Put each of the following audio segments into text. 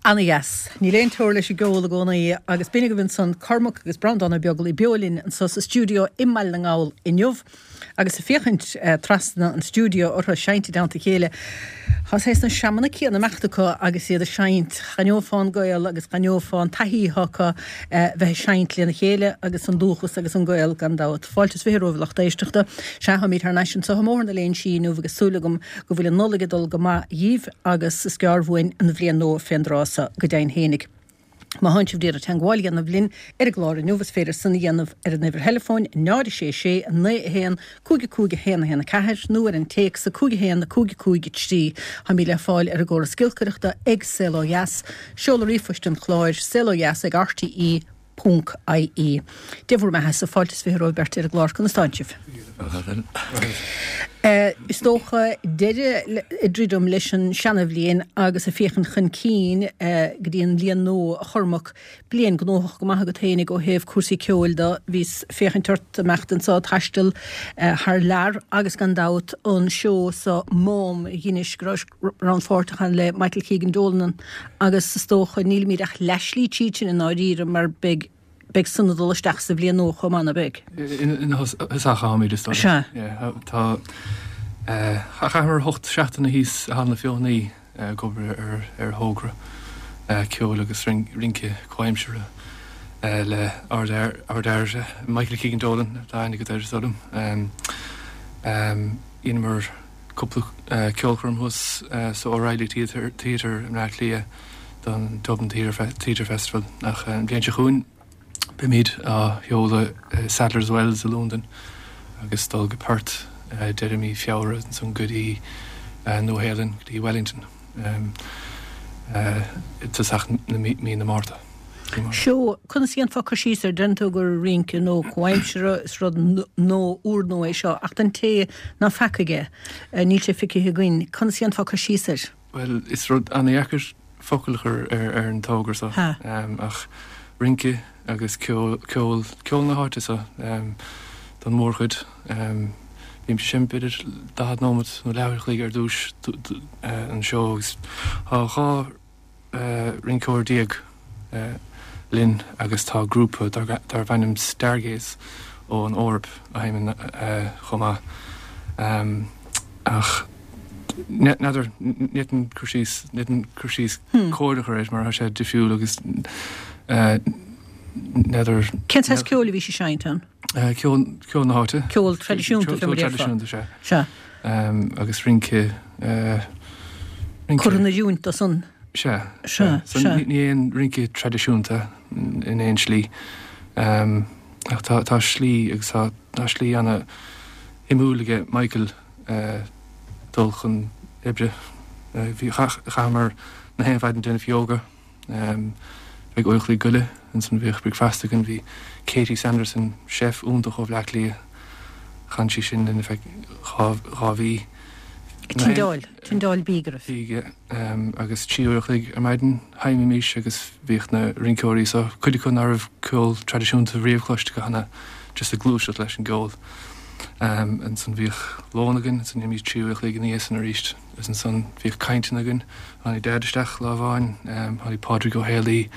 Ana-dheas. Níl aon teora leis an gceol i gcónaí agus b'in agaibh ansan Cormac agus Breandán Ó Beaglaoi beo linn anso sa stiúideo i mBaile na nGall inniu. Agus ag féachaint trasna an stiúideo orthu ag seinnt i dteannta a chéile, tá saghas na seamanna céanna ag imeacht acu agus iad ag seinnt. Dh'aithneofá an gaol agus dh'aithneofá an taithí atá acu bheith ag seinnt lena chéile agus an dúchas agus an gaol gan dabht. Fáilte is 20 romhaibh a lucht éisteachta. Sea, táimid thar n-ais anso i mBóthar na Léinsí inniu agus súil agam go bhfuil an Nollaig ag dul go maith dhíbh agus is gearr uainn an bhliain nua fén dtráth so, go deimhin fhéinig. Má thánn sibh d'iarraidh teangmháil a dhéanamh linn ar an gclár inniu is féidir san a dhéanamh ar an uimhir theileafóin 0 6 6 9 1 5 5 1 1 4 nó ar an téacs 5 1 5 5 3. Táimid le fáil ar an gcóras giolcaireachta ag Saol Ó Dheas. Seoladh ríomhphoist an chláir, saolodheas ag rte. Ponc ie. Dia bhur mbeatha-sa, fáilte is 20 romhaibh beirt ar an gclár, conas tánn sibh? Is dócha deireadh ag druidim leis an seana-bhliain agus ag féachaint chun cinn go dtí an bhliain nua, a Chormaic. Bliain gnóthach go maith agat fhéinig ó thaobh cúrsaí ceoil de. Bhíos ag féachaint ort imeacht anso ag taisteal thar lear agus gan dabht an seó so Mám a dheinis go raibh rannpháirteach ann le Michael Keegan Dolan agus is dócha nílimid ach leathshlí tríd sin i ndáiríre mar beidh beidh san ag dul isteach sa bhliain nua chomh maith, ná beidh? Ina thosach atáimid is dóigh. Sea. Tá chaitheamar 8 seachtaine thíos i Halla na Feothanaí ag obair ar ar thogra ceoil agus rince comhaimseartha le ardfhear Michael Keegan Dolan atá aithne agat air is dóigh liom. Dheineamar cúpla ceolchoirm thuas sa O'Reilly Theatre i mBleá Cliath don Dublin Theatre Festival ach an bhliain seo chugainn beimid á sheoladh i Sadler's Wells i Londain agus dul go Perth deireadh mí Feabhra ansan go dtí Nua Shéalainn go dtí Wellington i dtosach mí na Márta. Seó, conas a dhéanfá cur síos air? Deireann tú gur rince nua comhaimseartha, is rud nua, úrnua é seo, ach don té ná feacaigh é, níl sé feicthe againn, conas a dhéanfá cur síos air? Bhuel, is rud an-dheacair. focal a chur ar an togra seo ach rince agus ceol, ceol, ceol na háite seo don mhórchuid. Bímid ag seinm b'fhéidir 40 nóiméad nó leathuair a chloig ar dtús an seó agus tá 12 rinceoir linn agus tá grúpa darb ainm Stargaze ón Eoraip a sheinneann chomh maith. Ach n'fheadar, ní fhéadfainn cur síos, ní fhéadfainn cur síos cóir a chur air mar tá sé difriúil agus n'fheadar. Cén saghas ceoil a bhí sibh ag seinnt ann? Ceol, ceol na háite. Ceol traidisiúnta, fé mar a déarfá. Ceol traidisiúnta, sea. Sea. Agus rince, rince. Curtha in oiriúint dó san. Sea. Sea, sea. So ní aon rince traidisiúnta in aon slí. Ach tá, tá slí agus tá, tá slí ana shuimiúil aige Michael dul chun oibre. Bhí, chaitheamar na haon mhaidin ag déanamh yoga. Bheadh uair a chloig goile ansan bhíodh bricfeasta againn. Bhí Katie Sanderson, chef iontach ó Bhleá Cliath, chan sí sin linn ar feadh 2 mhí. Tindeáil, tindeáil bídh oraibh. Bídh, agus 3 uair a chloig ar maidin sheinnimis agus bhíodh na rinceoirí so, cuid acu ná raibh ceol traidisiúnta riamh cloiste acu cheana, just ag gluaiseacht leis an gceol. Ansan bhíodh lón againn, ansan dhéanaimis 3 uair a chloig ina dhiaidh san arís. Agus ansan bhíodh cainteanna againn. Tháinig Daid isteach lá amháin, tháinig Pádraig Ó Héalaí,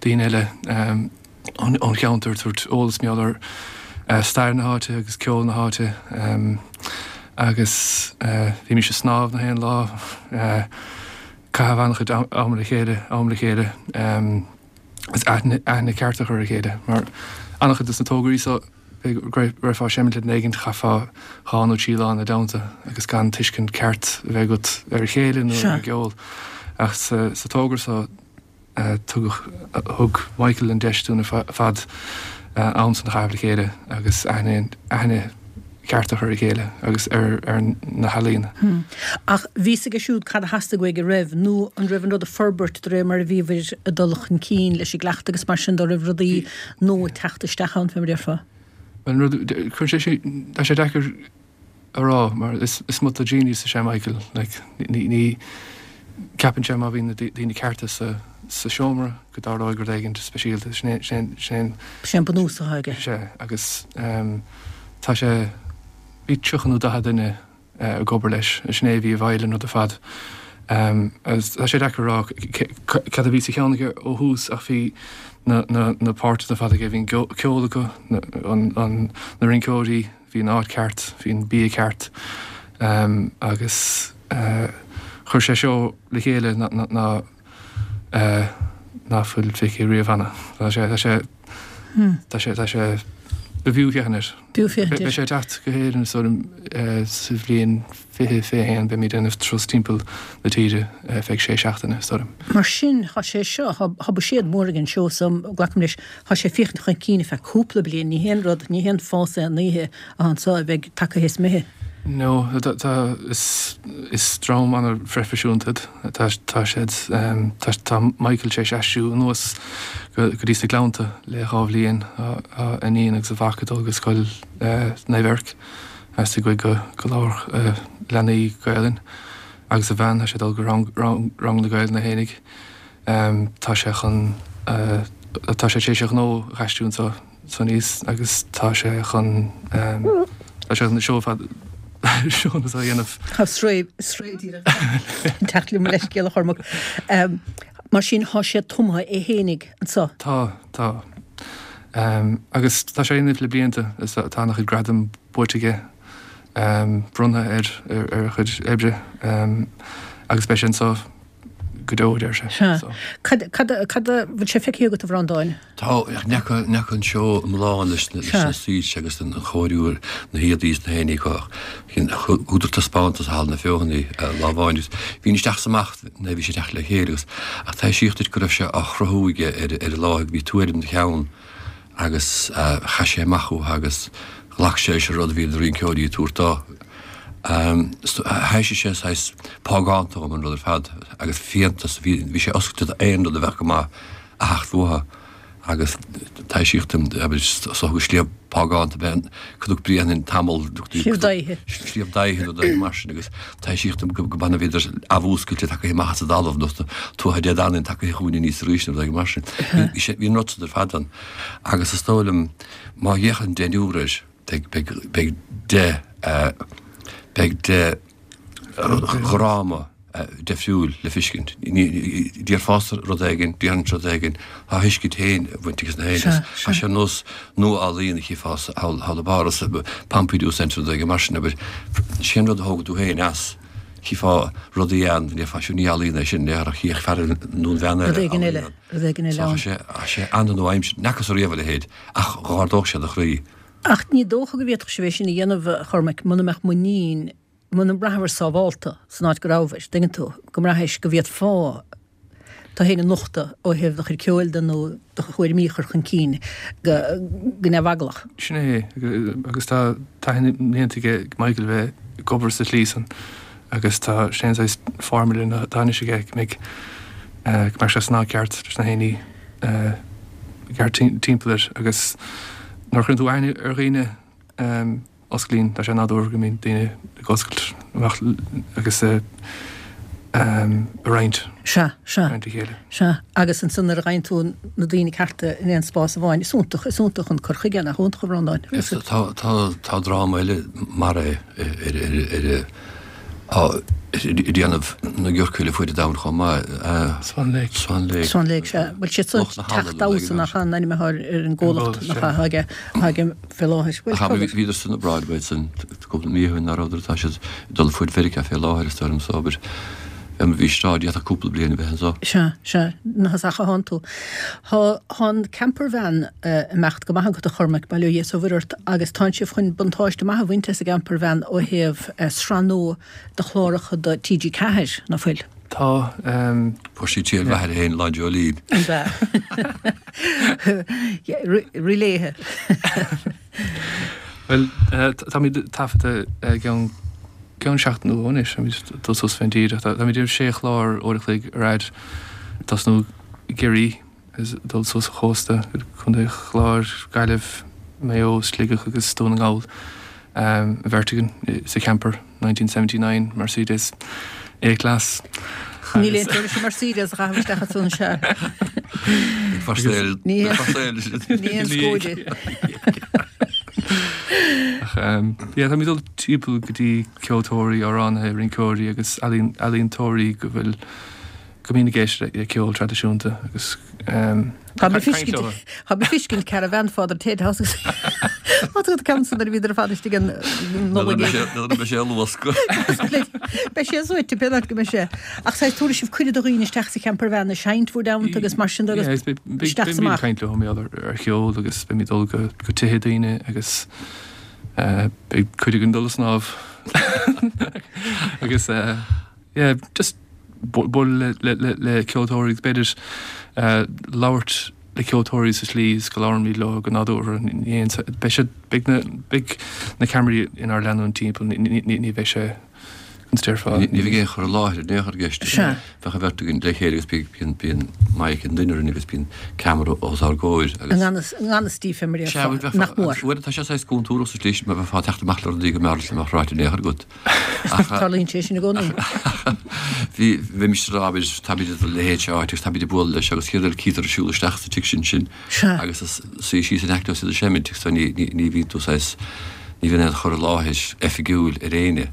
daoine eile ón cheantar ag tabhairt eolas mar gheall ar stair na háite agus ceol na háite. Agus bhímis ag snámh na haon lá, caitheamh an-chuid am le chéile, am le chéile agus aithne ceart a chur ar a chéile mar an-chuid dos na tograí so, go raibheá ag seimint le duine éigin, chaithfeá 2 nó 3 lá ina dteannta agus gan tuiscint ceart a bheith agat ar a chéile nó ar an gceol. Ach sa togra seo tugadh, thug Michael an deis dúinn ar fad am san a chaitheamh le chéile agus aithne, aithne ceart a chur ar a chéile agus ar na healaíona. Ach bhí fhios aige siúd cad a theastaigh uaidh, an raibh, nó an raibh an rud ag forbairt de réir mar a bhíobhair ag dul chun cinn leis an gcleachtadh agus mar sin de, raibh rudaí nua ag teacht isteach ann, fé mar a déarfá? Bhuel, an rud, cuireann sé sin, tá sé deacair a rá mar is muta genius is ea Michael, like, ní, ní, ceapann sé má bhíonn na daoine cearta sa, sa seomra go dtarlóidh rud éigin speisialta, sin é, sin é, sin é an. Sin é an bunús atá aige. Sea, agus tá sé, bhí 30 nó 40 duine ag obair leis, sin é a bhí i bhfeighil an rud ar fad. Agus tá sé deacair a rá cad a bhí sa cheann aige ó thús ach bhí na, na, na páirteanna ar fad aige, bhí an ceol acu, na, an, an, na rinceoirí, bhí an áit ceart, bhí an bia ceart agus chuir sé seó le chéile ná, ná fuil feicthe riamh cheana. Tá sé, tá sé, tá sé, tá sé, b'fhiú féachaint air. B'fhiú féachaint air. Beidh sé ag teacht go hÉirinn is dóigh liom sa bhliain 2021, beimid ag déanamh turas timpeall na tíre feadh sé seachtaine is dóigh liom. Mar sin, tá sé seo, tá buiséad mór ag an seó so, glacaim leis, tá sé ag féachaint chun cinn ar feadh cúpla bliain, ní haon rud, ní haon fás aon oíche atá anso a bheidh tagtha théis imithe. No, tá, is, is dream an-phroifisiúnta iad. Tá, tá siad, tá, tá Michael tar éis aistriú anuas go, go dtí sna Gleannta le 2 bhliain. Tá a iníon agus a mhac ag dul go scoil Naomh Eirc, theastaigh uaidh go, go labharfadh leanaí Gaelainn agus a bhean, tá sé ag dul go rang, rang, rang na Gaelainne fhéinig. Tá sé chun, tá sé tar éis a ghnó a aistriú anso. aníos agus tá sé chun tá sé chun na seó fad seónna a dhéanamh. Tá sraoth sraoth díreach ag teacht liom leithscéal a Chormaic. Mar sin tá sé tumtha é fhéinig anso. Tá, tá. Agus tá sé á dhéanamh le blianta is tá ana chuid gradam buaite aige, bronnta air ar a chuid oibre agus beidh sé anso go deo, a deir sé. Sea. Cad, cad, cad a bhfuil sé feicthe agat a Bhreandáin? Tá, ach ní fhaca, ní fhaca an seó iomlán leis na, leis na soilse agus an chóiriú, na héadaí is na haon ní acu ach chuadar taispeántas i Halla na Feothanaí lá amháin agus bhínn isteach is amach nuair a bhí sé ag teacht le chéile agus ach taibhsíodh duit go raibh sé á chruthú aige ar, ar an láthair, bhí tuairim ina cheann agus chaith sé amach uathu agus ghlac sé leis an rud a bhí na rinceoirí ag tabhairt dó. Thaibhsigh sé saghas págánta dhom an rud ar fad agus fiántas, bhí sé oscailte d'aon rud a bheadh go maith a theacht uathu. Agus taibhsíodh dom, abair, is dócha sliabh págánta ab ea an Cnoc Bréanainn tamall, Sliabh Dáithe. Sliabh Dáithe nó rud mar sin agus taibhsíodh dom go b'annamh a bhíodar athmhúscailte tagtha amach as an dtalamh nó Tuatha Dé Danann tagtha chugainn aníos arís nó rud mar sin. Bhí sé, bhí an rud san ar fad ann. Agus is dóigh liom má fhéachann deichniúr air, beidh, beidh, beidh de, beidh de dhráma difriúil le feiscint. Déarfása rud éigin, déarfainnse rud éigin, tá a thuiscint féin ag baint aige na héinne. Tá sé ar nós nua-ealaíon a chífeá thall i bPáras, Pompidou Centre rud éigin mar sin, abair. Sé an rud a thógann tú féin as, chífeá rudaí ann, déarfá sure ní ealaíon é sin, déarfá chífeadh fear nó an bhean eile Rud éigin eile, rud éigin eile ann. So tá sé an-nua-aimseartha, n'fhacthas ariamh a leithéid, ach dh'ardódh sé do chroí. Ach ní dócha go bhféadfadh sibh é sin a dhéanamh, a Chormaic, muna mbeadh muinín, muna mbraithfear sábhálta san áit go rabhais, dtuigeann tú, go mbraithis go bhféadfá tú féin a nochtadh ó thaobh do chuid ceoil de nó do thuairimí a chur chun cinn go neamheaglach. Sin é, agus tá taithí na mblianta aige Michael bheith ag obair sa tslí san agus tá sé an saghas formula atá anois aige go mbeidh, go mbeidh sé san am ceart leis na héinní ceart timpeall air agus nuair a chuireann tú aithne ar dhaoine, osclaíonn, tá sé nádúrtha go mbíonn daoine ag oscailt amach agus ag roinnt. Sea, sea. Roinnt a chéile. Sea, agus ansan nuair a fhaigheann tú na daoine cearta in aon spás amháin, is iontach, is iontach an cur chuige, nach iontach a Bhreandáin? Tá, tá, tá dráma eile mar é ar, ar, ar, ag déanamh na giorca le fuaid an domhain chomh maith. Swan Lake. Swan Lake. Swan Lake, sea. Bhuel, siad san Teach Damhsa nach an ainm atá ar an gcomhlacht nach atá aige, atá aige fé láthair. Bhuel, Ach bhíodar san Broadway san cúpla mí ó shin, ná rabhadar, tá siad ag dul fuaid Mheiriceá fé láthair is dóigh liom so abair bhí bhí sráid d'fhéadfadh cúpla bliain a bheith anso. Sea, sea, nach as Achadh thánn tú. Tá tá an campervan ag imeacht go maith agat a Chormaic, bail ó Dhia is ó Mhuire ort, agus tánn sibh chun buntáiste maith a bhaint as an gcampervan ó thaobh sraith nua de chláracha do TG4, ná fuil? Tá. Fuair sí triail mhaith uirthi féin lá Dreoilín. An ea? Rith léithe. Bhuel, táimid ag taifeadadh i gceann ceann seachtain nó dhó anois, táimid ag dul suas fén dtír. Táimid ag déanamh sé chlár uair a chloig ar fhad, ag tosnú i gCiarraí agus ag dul suas an chósta go Contae Chláir, Gaillimh, Maigh Eo, Sligeach agus Dún na nGall. An bheirt againn sa champer. 1979 Mercedes A-Class. Níl aon teora leis an Mercedes a chaitheamh isteach as an sea. Ní haon scóide. Ach yeah, táimid ag dul timpeall go dtí ceoltóirí, amhránaithe, rinceoirí agus ealaíontóirí go bhfuil go mbíonn ag éisteacht le ceol traidisiúnta agus Tá mé feiscint caravan Father Ted House agus Tá tú ceann san nuair a bhíodar ar fad istigh an Nollaig. Nuair a bheidh sé ag luascadh. Beidh sé suaite pé áit go mbeidh sé. Ach saghas tabharfaidh sibh cuireadh do dhaoine isteach sa campervan ag seinnt bhur dteannta agus mar sin de agus isteach is amach. Beimid ag caint leo mar gheall ar cheol agus beimid ag dul go tithe daoine agus beidh cuid againn ag dul ag snámh agus yeah just bualadh le ceoltóirí agus b'fhéidir labhairt le ceoltóirí sa tslí is go labhraímid leo go nádúrtha. Ní aon, beidh siad, beidh na, beidh na ceamaraí inár leanúint timpeall, ní, ní, ní bheidh sé, conas déarfá. Ní bheidh aon chur i láthair in aon chor i gceist. Sea. Bheadh an bheirt againn le chéile agus bíonn, bíonn mic ag duine orainn agus bíonn ceamara os ár gcomhair agus. I ngan fhios, i ngan fhios daofa mar a Sea, déarfá, nach mór. Uaireanta tá sé saghas contúirteach sa tslí sin mar bheifeá ag teacht amach le rudaí go mb'fhearr leat nach mbeadh ráite in aon chor agat. Tarlaíonn sé sin i gcónaí. Bhí, bheimis ag rá, abair, táimid ag dul leithéid seo áit agus táimid ag bualadh leis agus céard eile cítear ag siúl isteach sa tigh sin sin agus suí síos in aice leo is iad ag seimint agus ní, ní, ní bhíonn tú saghas, ní bhíonn aon chur i láthair oifigiúil ar éinne.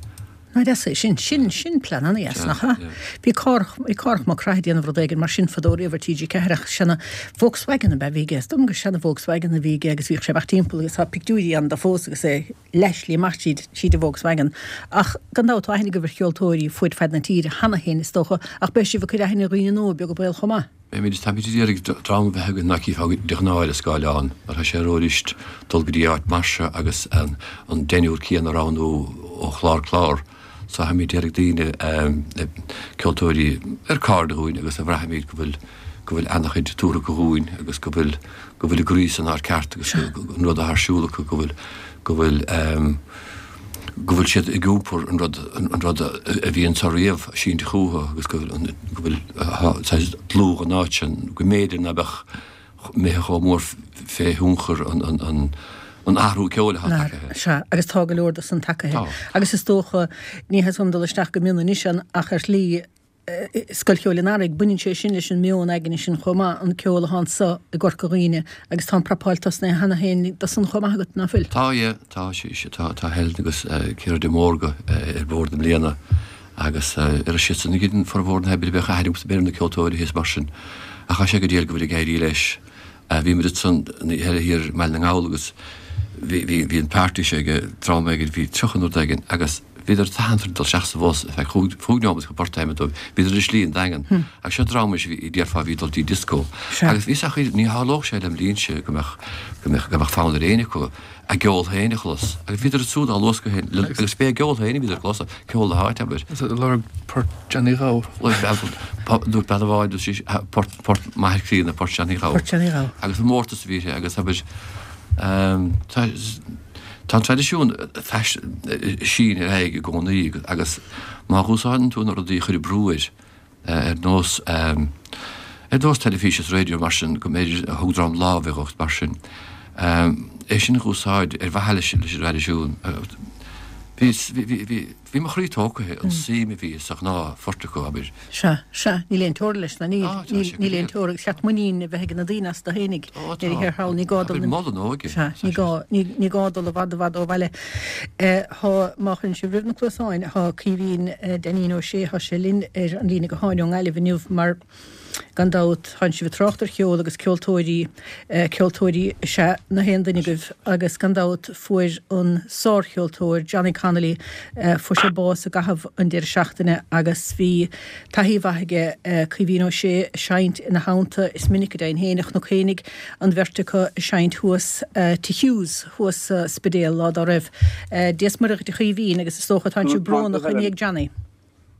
Ná deas é sin, sin, sin plean ana-dheas, nach ea? Bhí Cárthach, bhí Cárthach Mac Craith ag déanamh rud éigin mar sin fadó riamh ar TG4 ach seana Volkswagen ab ea a bhí aige, is dóigh liom gur seana Volkswagen a bhí aige agus bhíodh sé ag imeacht timpeall agus tá pictiúirí ann de fós agus é leathshlí amach tríd tríd an Volkswagen. Ach gan dabht tá aithne agaibh ar cheoltóirí fuaid fad na tíre cheana féin is dócha, ach beidh sibh ag cur aithne ar dhaoine nua beag an baol chomh maith. Beimid, táimid ag iarraidh dream a bheith againn ná cífeá de ghnáth ar an scáileán, mar tá sé rófhuirist dul go dtí áit mar seo agus an deichniúr céanna a roghnú ó chlár clár. So táimid ag iarraidh daoine, ceoltóirí ar cairde dhúinn agus a bhraithimid go bhfuil, go bhfuil ana-chuid tabhartha acu dhúinn agus go bhfuil, go bhfuil a gcroí san áit ceart agus an rud atá ar siúl acu, go bhfuil, go bhfuil, go bhfuil siad ag iompar an rud, an rud a bhí anso riamh sínte chucu agus go bhfuil, go bhfuil saghas dlúth an áit sin, go mb'fhéidir ná beadh. Imithe chomh mór fé thionchar an athrú ceoil atá tagaithe. Sea, agus tá go leor de san tagaithe. Tá. Agus is dócha, ní theastaíonn uaim dul isteach go mion anois ann, ach ar shlí, Scoil Cheoil an Earraigh, baineann sé sin leis an meon aigne sin chomh maith, an ceol atá anso i gCorca Dhuibhne, agus tá an prapáil tosnaithe cheana féin do san chomh maith agat, ná fuil? Tá, yeah, tá, tá, tá Helen agus Ciara de Mórdha ar bord i mbliana agus ar siadsan a dheineann formhór na hoibre, bheadh aithne agamsa ar na ceoltóirí thíos mar sin ach tá sé go diail go bhfuil ag éirí leis. Bhí muid ansan an oíche eile thiar i mBaile na nGall agus bhí, bhí, bhí an party seo ag dream éigin, bhí 30 nó rud éigin agus bhíodar tathantach dul isteach sa bhus ar feadh chúig neomat chun port a sheinm dóibh. Bhíodar ar a slí an Daingean. Agus seo dream anois a bhí, déarfá, a bhí ag dul dtí disco. Agus bhí a fhios acu, ní tharlódh sé lem linnse go mbeadh, go mbeadh, go mbeadh fonn ar éinne acu. a gceol féin a chlos. Agus bhíodar ansúd á luascadh féin, agus b'é a gceol féin a bhíodar ag clos, ceol na háite, abair. Is ag lorg port Johnny Ghabh. Dúirt bean amháin, dúirt sí, port, port m'athair críonna, port Johnny Ghabh. Port Johnny Ghabh. Agus an mórtas a bhí uirthi agus abair, tá, tá an traidisiún ag síneadh ar aghaidh i gcónaí agus má dh'úsáideann tú na rudaí a chuir brú air, ar nós ar nós teilifís is raidió mar sin, go mb'fhéidir a thug dream lámh a mar sin, é sin a dh'úsáid ar mhaithe leis an dtraidisiún. Bhí, bhí, bhí, bhí mo chroí tógtha an suim a bhí sa ghnáthphort acu, abair. Sea, sea, níl aon teora leis, ná níl, níl, níl aon teora, agus cheart muinín a bheith ag na daoine astu fhéinig, nuair a thiar thall, ní gá dul, Abair, mol an óige. Sea, ní gá, ní, ní gá dul i bhfad, i bhfad ó bhaile. Tá, má chuireann sibh roimh na cluasáin, tá Caoimhín Dainín Ó Sé, tá sé linn ar an líne gutháin ón nGaillimh inniu mar gan dabht tánn sibh ag trácht ar cheol agus ceoltóirí, ceoltóirí is ea na haon duine agaibh agus gan dabht fuair an sárcheoltóir Johnny Connolly, fuair sé bás i gcaitheamh an deireadh seachtaine agus bhí taithí mhaith aige Caoimhín Ó Sé ag seinnt ina theannta, is minic go deimhin féin a chonac féinig an bheirt acu ag seinnt thuas Tigh Hughes thuas sa Spidéal lá dá raibh. Dia 's Muire dhuit a Chaoimhín agus is dócha tánn sibh brónach i ndiaidh Johnny.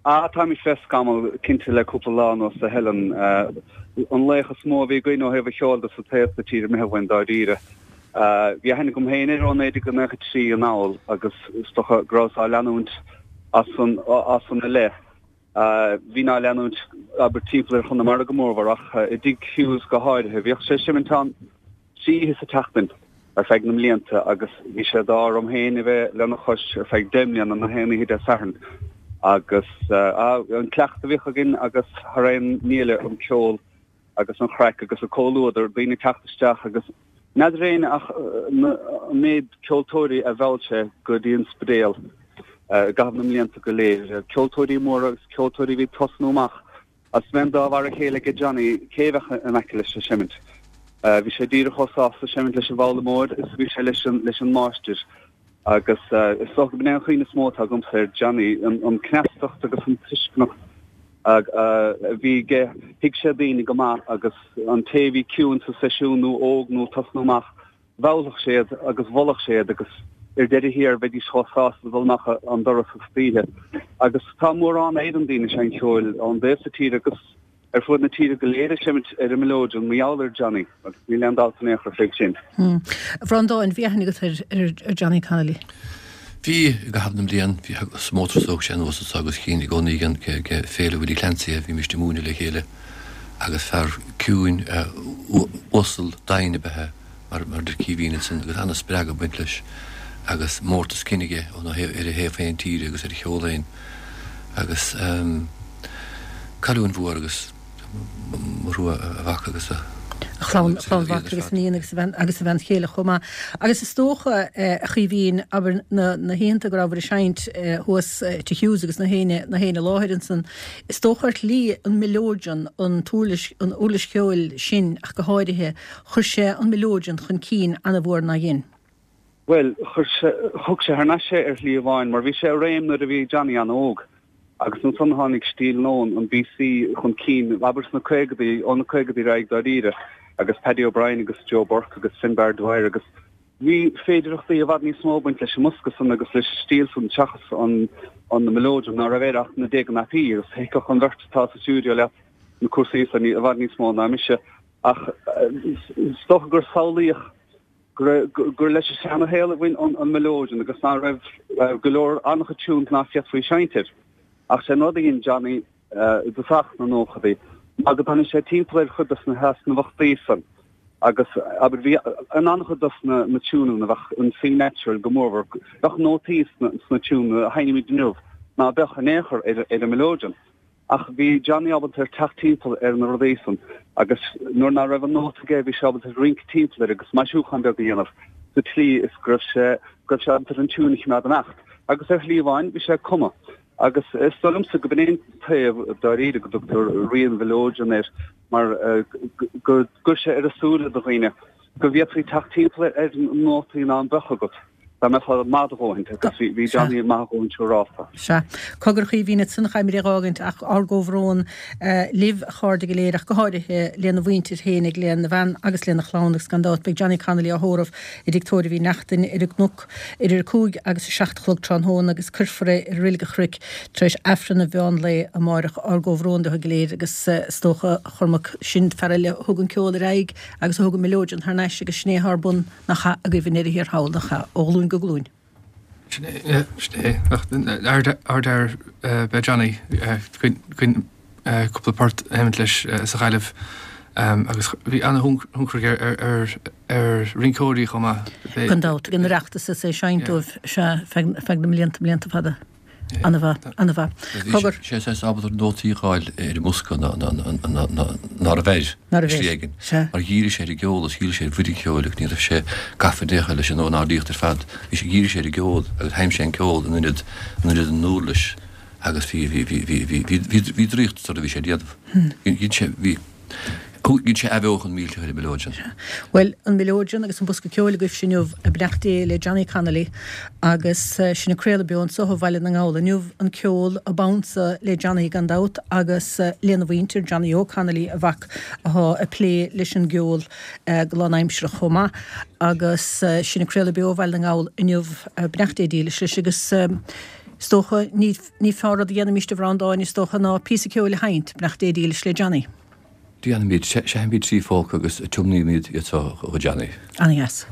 Ah táimid fé scamall cinnte le cúpla lá anuas a Helen. An laoch is mó a bhí againn ó thaobh an cheoil de sa taobh sa tír imithe uainn dáiríre. Bhí aithne agam féin air ó 1993 anall agus is dócha go rabhas á leanúint as san as san i leith. Bhínn á leanúint, abair, timpeall ar Chonamara go mórmhór ach i dTigh Hughes go háirithe. Bhíodh sé ag seimint ann trí oíche sa tseachtain ar feadh na mblianta agus bhí sé d'ádh orm féin a bheith lena chois ar feadh deich mbliana, na haon oíche Dé Sathairn. Agus an cleachtadh a bhíodh againn agus thar aon ní eile an ceol. agus an chraic agus an comhluadar, daoine ag teacht isteach agus n'fheadar éinne ach an méid ceoltóirí a mheall sé go dtí an Spidéal i gcaitheamh na mblianta go léir. Ceoltóirí móra agus ceoltóirí a bhí ag tosnú amach agus bheadh an dá mhar a chéile aige Johnny cé a bheadh in aice leis ag seimint. Bhí sé díreach chomh sásta seimint leis an bhfoghlaimeoir is a bhí sé leis an leis an máistir. Agus is dócha go b'in é an chuimhne is mó atá agamsa ar Johnny, an cneastacht agus an tuisceanacht a bhí aige. Thuig sé daoine go maith agus an té a bhí ciúin sa seisiún nó óg nó ag tosnú amach, mheallfadh sé iad agus mholfadh sé iad agus ar deireadh thiar bheidís chomh sásta dul amach an doras istoíche. Agus tá mórán Éireann daoine ag seinnt cheoil ón dtaobh so tíre agus ar fuaid na tíre go léir ag seimint ar an mileoidean mar gheall ar Johnny agus níl aon dabht in aon chor fé sin. A Bhreandáin, bhí aithne agat ar Johnny Connolly? Bhí, i gcaitheamh na mblian. Bhí, sa mótar is thóg sé anuas anso agus chínn i gcónaí ag Féile Willie Clancy é, bhímist ag múineadh le chéile agus fear ciúin, uasal, domhain ab ea é, mar mar deir Caoimhín ansan, agus ana-spreagadh ag baint leis agus mórtas cinn aige ar a thaobh féin tíre agus ar a cheol féin agus cailliúint mhór agus mo thrua a mhac agus a A chlann, a chlann mhac agus a níon agus a bhean agus a bhean chéile chomh maith. Agus is dócha, a Chaoimhín, abair na na hoícheanta go rabhabhair ag seinnt thuas Tigh Hughes agus na héinne na héinne i láthair ansan, is dócha ar shlí an mileoidean, an t-uirlis an uirlis cheoil sin ach go háirithe, Chuir sé an mileoidean chun cinn ana-mhór nár dhein? Bhuel, chuir sé, thug sé thar n-ais é ar shlí amháin, mar bhí sé i réim nuair a bhí Johnny an-óg. Agus ansan tháinig stíl nua, an BC, chun cinn, abair sna caogadaí, ó na caogadaí ar aghaidh dáiríre, agus Paddy O'Brien agus Joe Burke agus Finbar Dwyer agus bhí féidireachtaí i bhfad níos mó ag baint leis an mbosca san agus leis an stíl san seachas an an mileoidean ná raibh air ach na déaga napaí agus thuigfeadh an bheirt atá sa stiúideo leat na cúrsaí san i bhfad níos mó ná mise. Ach is dócha gur samhlaíodh gur leis an seanashaol a bhain an mileoidean agus ná raibh go leor an-chuid tunes ná féadfaí seinnt air. Ach sé an rud a dhein Johnny i dtosach na nóchadaí ná go dtáinig sé timpeall ar chuid de na heasnamhachtaí san. Agus, abair, bhí in an-chuid dos na tiúineanna, bheadh an C natural go mórmhór, bheadh nótaí sna tiúineanna a sheinnimid inniu ná beadh in aon chor ar an mileoidean. Ach bhí Johnny ábalta ar teacht timpeall ar na rudaí san agus nuair ná raibh an nóta aige bhí sé ábalta ar rince timpeall air agus maisiúchán beag a dhéanamh sa tslí is go raibh sé, go raibh sé ábalta ar an tiúin a choimeád imeacht. Agus ar shlí amháin bhí sé ag cumadh. Agus is dóigh liomsa go b'in é an taobh dáiríre go dtugtar Rí an Mhileoidean air mar go gcuir sé ar a súile do dhaoine go bhféadfaí teacht timpeall ar nótaí ná beadh agat dá mbeifeá maith a dhóthaint agus bhí Johnny maith a dhóthaint siúrálta. Sea. Cogar a Chaoimhín ansan caithfimid é dh'fhágaint ach ár gcomhbhrón libh a chairde go léir ach go háirithe lena mhuintir fhéinig, lena bhean agus lena chlann agus gan dabht beidh Johnny Connolly á thórramh i dTigh Tórraimh Uí Neachtain ar an gCnoc idir 5 agus 7 a chlog tráthnóna agus cuirfear é i Reilig an Chnoic tar éis Aifreann an mheán lae amáireach. Ár gcomhbhrón leo go léir agus is dócha, a Chormaic, sin fear eile a thug an ceol ar aghaidh agus a thug an mileoidean thar n-ais agus sin é atá ar bun nach ea agaibh i ndeireadh thiar thall, nach ea, ó ghlúin go glúin. Sin é, sin é. Ardfhear ab ea Johnny. Cúpla port a sheinnt leis sa Ghaillimh agus bhí ana-thionchar aige ar rinceoirí chomh maith. Gan dabht, ag an Oireachtas is é ag seinnt dóibh, sea, feadh na mblianta, blianta fada. Ana-mhaith, ana-mhaith. Cogar. Sé is ábalta nótaí a fháil ar an mbosca ná ná raibh air, Ná raibh slí air, éigin. sea. Mar dhírigh sé ar an gceol agus dhírigh sé ar bhuille an cheoil agus ní raibh sé gafa in aon chor leis an ornáidíocht ar fad. Bhí sé, dhírigh sé ar an gceol agus sheinn sé an ceol in ionad, in ionad an uirlis. Agus bhí, bhí, bhí, bhí, bhí, bhí, bhí, bhí draíocht sa rud a bhí sé a dhéanamh. Dhein sé, bhí, dhein sé athbheochan millteach ar an mileoidean. Bhuel, an mileoidean agus an bosca ceoil agaibhse inniu, beannacht Dé le Johnny Connolly agus sinn ag craoladh beo anso ó Bhaile na nGall inniu, an ceol ab ansa le Johnny gan dabht agus lena mhuintir, Johnny Óg Connolly, a mhac athá ag plé leis an gceol go lánaimsearach chomh maith agus sinn ag craoladh beo ó Bhaile na nGall inniu, beannacht Dé dílis leis agus. Is dócha, ní fearr rud a dhéanfaimíst a Bhreandáin, is dócha, ná píosa ceoil a sheinnt, beannacht Dé dílis le Johnny. Déanfaimid, seinnfimid trí pholca agus tiomnaímid iad seo do Johnny. Ana-dheas.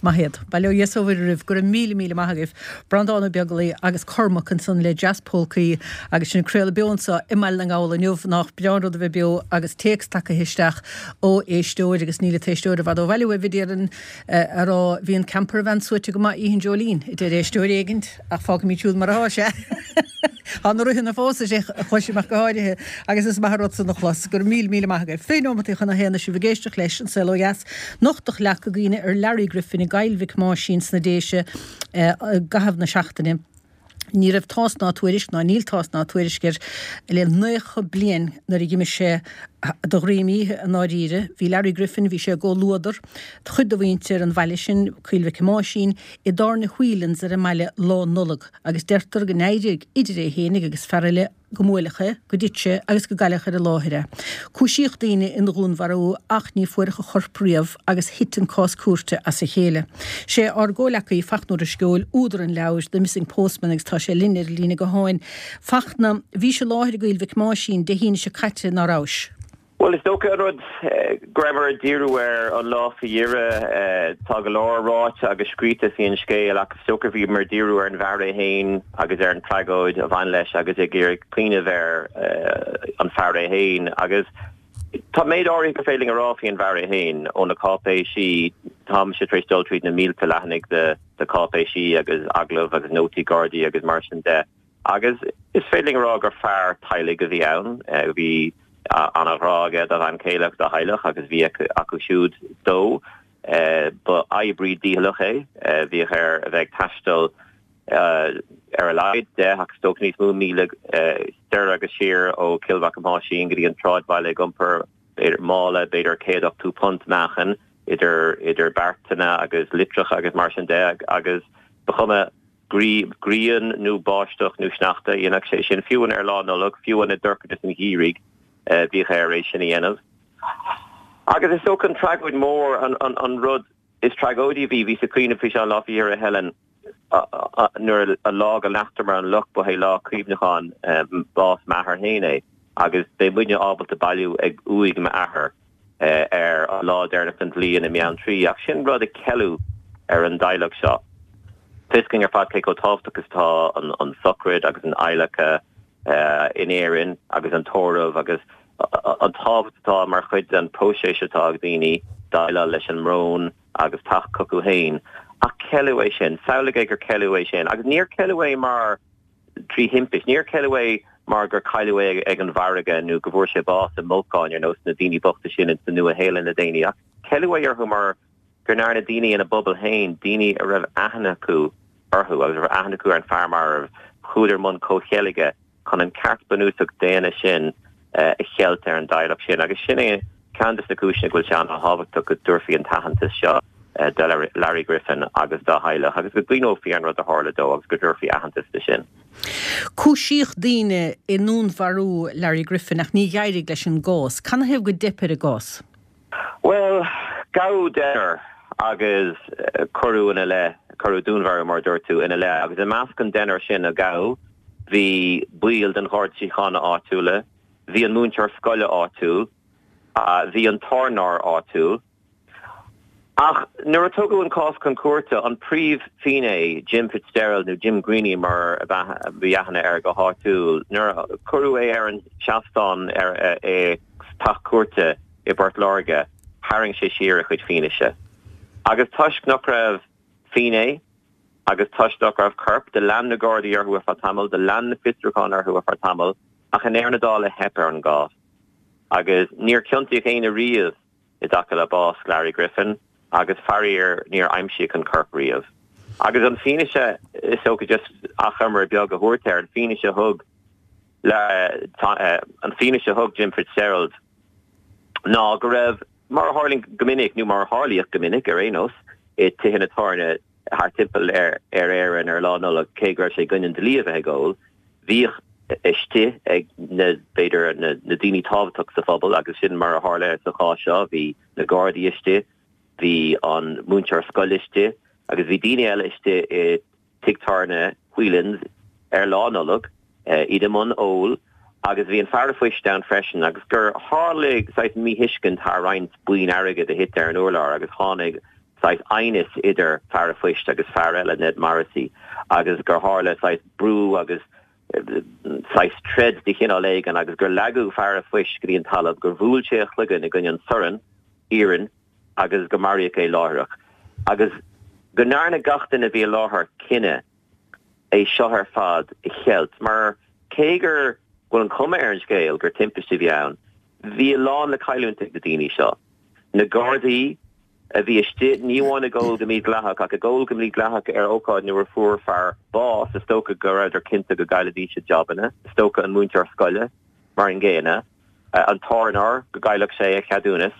Maith iad. Bail ó Dhia is ó Mhuire oraibh. Go raibh míle míle maith agaibh. Breandán Ó Beaglaoi agus Cormac ansan le Jazz Polcaí agus sinn ag craoladh beo anso i mBaile na nGall inniu. Nách breá an rud a bheith beo agus téacs tagaithe isteach ó éisteoir agus níl an t-éisteoir i bhfad ó bhaile uaibh a déarfainn a rá bhí an camper van suaite go maith oíche an Dreoilín a deir éisteoir éigint ach fágfaimid siúd mar atá sé. Tá na ruthanna fós a chloisim ach go háirithe agus is maith an rud san a chlos. Go raibh míle míle maith agaibh. 20 nóimeataí chun a haon is sibh ag éisteacht leis An Saol Ó Dheas. Nochtadh leac i gcuimhne ar Larry Griffin i gCoill Mhic Máisín sna Déise i gcaitheamh na seachtaine. Ní raibh tásc ná tuairisc, ná níl tásc ná tuairisc air le 90 bliain nuair a dh'imigh sé de dhroim oíche i ndáiríre. Bhí Larry Griffin, bhí sé i gcomhluadar chuid de mhuintir an bhaile sin, Coill Mhic Máisín, i dtábhairne Whelan's ar an mbaile Lá Nollag agus deirtear go n-éirigh idir é fhéinig agus fear eile go mbuaileadh é, go dtit sé agus go gcailleadh ar an láthair é. Cúisíodh daoine ina dhúnmharú ach ní fuaireadh a chorp riamh agus thit an cás cúirte as a chéile. Sé ár gcomhleacaí Fachtna Ó Drisceoil údar an leabhair The Missing Postman agus tá sé linn ar an líne gutháin. Fachtna, bhís i láthair i gCoill Mhic Máisín Dé hAoine seo caite, ná rabhais? Bhuel, is dócha an rud go rabhamar ag díriú air an lá faoi dheireadh, tá go leor ráite agus scríte faoin scéal ach is dócha bhíomar ag díriú ar an bhfear é féin agus ar an tragóid a bhain leis agus ag iarraidh cuimhneamh ar an fear é féin. Agus tá méid áirithe gur féidir linn a rá faoin bhfear é féin ó na cáipéisí, táimse tar éis dul tríd na mílte leathanaigh de cháipéisí agus agallaimh agus nótaí Gardaí agus mar sin de. Agus is féidir linn a rá gur fear teaghlaigh a bhí ann. Bhí an-ghrá aige dá bhean chéile agus dá theaghlach agus bhí acu siúd dó. Ba oibrí dícheallach é. Bhíodh air a bheith ag taisteal ar a laghad 10 ach is dócha níos mó míle soir agus siar ó Chill Mhac Máisín go dtí an tsráidbhaile ag iompar b'fhéidir mála b'fhéidir 180 punt meáchain idir idir beartanna agus litreacha agus mar sin de agus ba chuma grian nó báisteach nó sneachta, dhéanfadh sé sin, fiú ar Lá Nollag, fiú i ndorchadas an gheimhridh, bhíodh air é sin a dhéanamh. Agus is dócha an tragóid mhór, an rud is tragóidí a bhí, bhíos ag cuimhneamh faoi seo an lá faoi dheireadh, Helen, nuair an lá go leagtar an leac, ba é lá cuimhneacháin bás m'athar féin é, agus beidh muidne ábalta bailiú ag uaigh m'athar. ar an lá deireanach den bhliain i mBeanntraí, ach sin rud a ceileadh ar an dteaghlach seo. Tá fhios againn ar fad cé chomh tábhachtach is atá an sochraid agus an adhlacadh in Éirinn agus an tórramh agus an tábhacht atá mar chuid den próiseas atá ag daoine déileáil leis an mbrón agus teacht chucu féin. Ach ceileadh é sin. Samhlaigh é gur ceileadh é sin. Agus níor ceileadh é mar. trí thimpist. Níor ceileadh é mar gur cailleadh é ag an bhfarraige nó go bhfuair sé bás i mbolcán ar nós na daoine bochta sin ins an Nua-Shéalainn le déanaí, ach ceileadh é orthu mar go ndearna daoine ina bpobal féin, daoine a raibh aithne acu orthu agus a raibh aithne acu ar an fear marbh, chuadar i mbun comhcheilge chun an ceart bunúsach daonna sin a cheilt ar an dteaghlach sin. Agus sin é ceann de na cúiseanna go bhfuil sé an-thábhachtach go dtabharfaí an t-aitheantas seo do Larry Griffin agus dá theaghlach agus go gcuimhneofaí ar an rud a tharla dó agus go dtabharfaí aitheantas do sin. Cúisíodh daoine i ndúnmharú Larry Griffin ach ní d'éirigh leis an gcás. Canathaobh go dteip ar an gcás? Bhuel, gabhadh deichniúr agus cuireadh ina leith, cuireadh dúnmharú mar a dúirt tú, ina leith agus i measc an deichniúr sin a gabhadh bhí baill den Gharda Síochána áitiúla, bhí an múinteoir scoile áitiúil, bhí an tábhairneoir áitiúil. Ach nuair a tugadh an cás chun cúirte, an príomh-fhinné, Jim Fitzgerald, nó Jim Greeny mar a bhí aithne air go háitiúil, nuair a cuireadh é ar an seastán i dteach cúirte i bPort Láirge, tharraing sé siar a chuid fianaise. Agus toisc nach raibh finné agus toisc nach raibh corp, do lean na Gardaí orthu ar feadh tamaill, do lean na fiosrúcháin orthu ar feadh tamaill, ach i ndeireadh na dála theip ar an gcás. Agus níor ciontaíodh éinne riamh. i dtaca le bás Larry Griffin agus faraor níor aimsíodh an corp riamh. Agus an fianaise, is dócha just achoimre beag a thabhairt air, an fianaise a thug an fianaise a thug Jim Fitzgerald ná go raibh, mar a tharlaíonn go minic, nó mar a tharlaíodh go minic ar aon nós, i tithe na tábhairne thart timpeall ar Éirinn ar Lá Nollag, cé go raibh sé i gcoinne an dlí a bheith ag ól, bhíodh istigh ag na, b'fhéidir, na daoine tábhachtach sa phobal agus sin mar a tharla sa chás seo, bhí na Gardaí istigh, bhí an múinteoir scoile istigh agus bhí daoine eile istigh i tigh tábhairne Whelan's ar Lá Nollag, iad i mbun óil agus bhí an fear a phoist ann freisin agus gur tharlaigh saghas míthuiscint thar roinnt boinn airgid a thit ar an urlár agus tháinig. saghas aighneas idir fear a phoist agus fear eile, Ned Morrissey, agus gur tharla saghas brú agus saghas troid de chineál éigin agus gur leagadh fear a phoist go dtí an talamh, gur bhuail sé a chloigeann i gcoinne an sorn iarainn agus go maraíodh é láithreach. Agus go ndearna gach duine a bhí i láthair cinneadh é seo ar fad a cheilt mar cé gur bhfuil an chuma ar an scéal gur timpiste a bhí ann, bhí a lán le cailliúint ag na daoine seo. Na Gardaí a bhí istigh, ní amháin ag ól go mídhleathach ach ag ól go mídhleathach ar ócáid nuair a fuair fear bás, is dócha go rabhadar cinnte go gcaillfidís a jabanna, is dócha an múinteoir scoile mar an gcéanna, an tábhairneoir go gcaillfeadh sé a cheadúnas